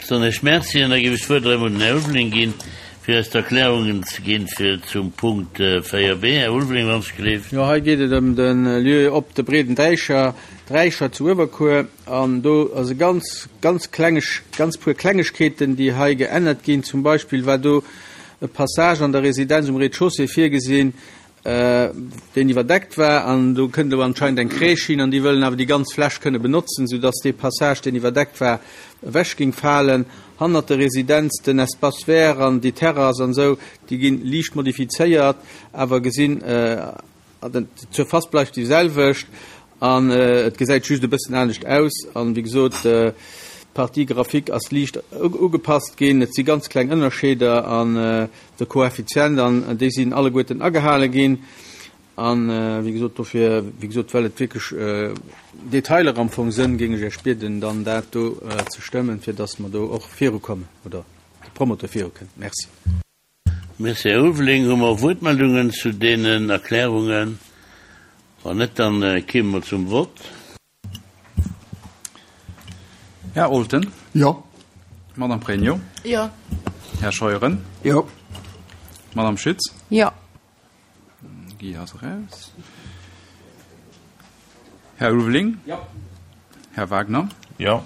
Soen ech Merci an da géif ech d'Wuert erëm un den Här Ulveling ginn, fir eis d'Erklärungen ze ginn fir zum Punkt 4b. Här Ulveling, wann ech gleef. Jo, hei geet et ëm de Lieu op de Breeden Dräicher, Dräicher zu Uewerkuer. An do ass e ganz, ganz klenge, ganz puer Klengegkeeten, déi hei geännert ginn. Zum Beispill war do e Passage an der Residenz um Rez-de-chaussée virgesinn, deen iwwerdeckt war, an do kënnt elo anscheinend eng Crèche hin, an déi wëllen awer déi ganz Fläch kënne benotzen, soudass dee Passage, deen iwwerdeckt war, ewech géing falen. Hannert der Residenz, den Espace vert an déi Terrasse an esou, déi gi liicht modifizéiert, awer gesinn, d'Surface bleift déi selwecht an et gesäit just e bëssen anescht aus. An, wéi gesot, d'Partie graphique ass liicht ugepasst ginn. Et si ganz kleng Ënnerscheeder an de Koeffizient an déi sinn alleguerten agehale ginn. An, wéi gesot, dofir, wéi gesot, well et wierklech Detailer am Fong sënn, géing ech Iech bieden, dann dat do ze stëmmen, fir dass mer do och virukommen oder de Promoteur virukënnt. Merci. Merci, Här Ulveling. Hu mer Wuertmeldungen zu deenen Erklärungen? Wann net, dann kéime mer zum Vott. Här Olten. Jo. Madame Pregno. Jo. Här Scheuren. Jo. Madame Schütz. Jo. Guy ass eraus. Här Ulveling. Jo. Här Wagner. Jo.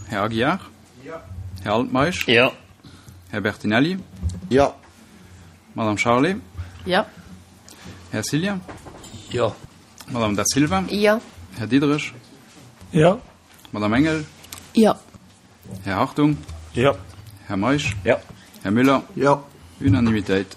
Här Aguiar. Jo. Här Altmeisch. Jo. Här Bertinelli. Jo. Madame Charlé. Jo. Här Cillien. Jo. Madame Da Silva. Jo. Här Diderich. Jo. Madame Engel. Jo. Här Hartung. Jo. Här Meisch. Jo. Här Müller. Jo. Unanimitéit.